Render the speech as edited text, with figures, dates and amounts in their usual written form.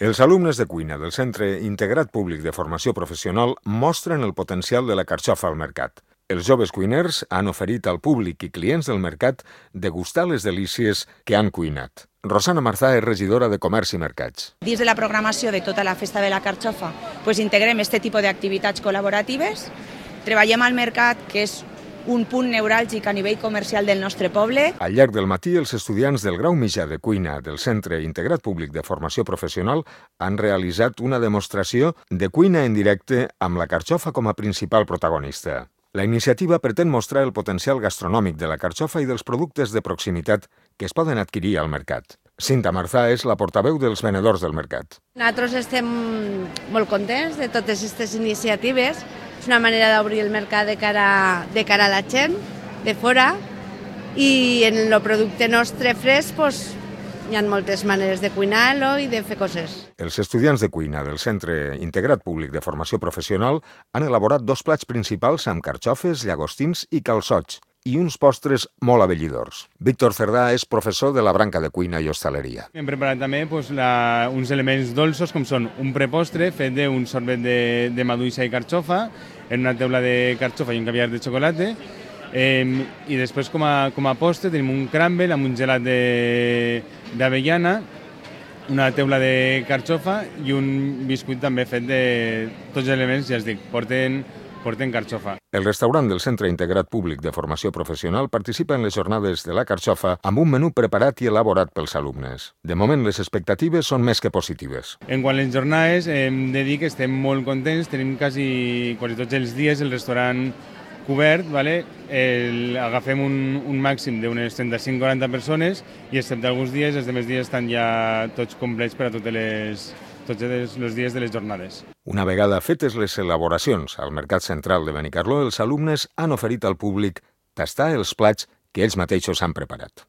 Els alumnes de cuina del Centre Integrat Públic de Formació Professional mostren el potencial de la carxofa al mercat. Els joves cuiners han oferit al públic i clients del mercat degustar les delícies que han cuinat. Rosana Marzà és regidora de Comerç i Mercats. Dins de la programació de tota la Festa de la Carxofa integrem aquest tipus d'activitats col·laboratives. Treballem al mercat, que és un punt neuràlgic a nivell comercial del nostre poble. Al llarg del matí, els estudiants del grau mitjà de cuina del Centre Integrat Públic de Formació Professional han realitzat una demostració de cuina en directe amb la carxofa com a principal protagonista. La iniciativa pretén mostrar el potencial gastronòmic de la carxofa i dels productes de proximitat que es poden adquirir al mercat. Cinta Marzà és la portaveu dels venedors del mercat. Nosaltres estem molt contents de totes aquestes iniciatives. És una manera d'obrir el mercat de cara a la gent de fora, i en el producte nostre fresc hi ha moltes maneres de cuinar-lo i de fer coses. Els estudiants de cuina del Centre Integrat Públic de Formació Professional han elaborat 2 plats principals amb carxofes, llagostins i calçots, i uns postres molt abellidors. Víctor Cerdà és professor de la branca de cuina i hostaleria. Hem preparat també uns elements dolços, com són un prepostre fet d'un sorbet de maduixa i carxofa, en una teula de carxofa i un caviar de xocolata, i després com a postre tenim un crumble amb un gelat d'avellana, una teula de carxofa i un biscuit també fet de tots els elements, ja es dic, porten carxofa. El restaurant del Centre Integrat Públic de Formació Professional participa en les jornades de la carxofa amb un menú preparat i elaborat pels alumnes. De moment, les expectatives són més que positives. En quant a les jornades, hem de dir que estem molt contents. Tenim quasi tots els dies el restaurant cobert. Agafem un màxim d'unes 35-40 persones i excepte alguns dies, els demés dies estan ja tots complets per a tots els dies de les jornades. Una vegada fetes les elaboracions al Mercat Central de Benicarló, els alumnes han oferit al públic tastar els plats que ells mateixos han preparat.